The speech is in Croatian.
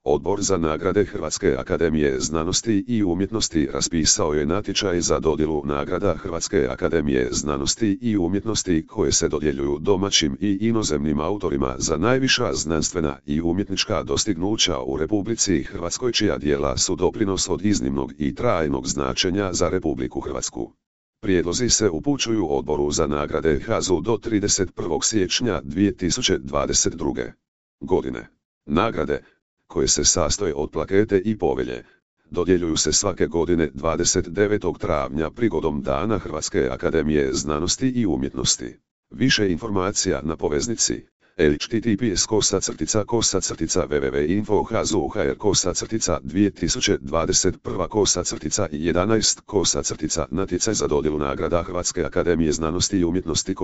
Odbor za nagrade Hrvatske akademije znanosti i umjetnosti raspisao je natječaj za dodjelu nagrada Hrvatske akademije znanosti i umjetnosti koje se dodjeljuju domaćim i inozemnim autorima za najviša znanstvena i umjetnička dostignuća u Republici Hrvatskoj čija djela su doprinos od iznimnog i trajnog značenja za Republiku Hrvatsku. Prijedlozi se upućuju Odboru za nagrade HAZU do 31. siječnja 2022. godine. Nagrade, koje se sastoje od plakete i povelje, dodjeljuju se svake godine 29. travnja prigodom Dana Hrvatske akademije znanosti i umjetnosti. Više informacija na poveznici https://www.info-hazu.hr/2021-11-natjecaj za dodjelu nagrada Hrvatske akademije znanosti i umjetnosti.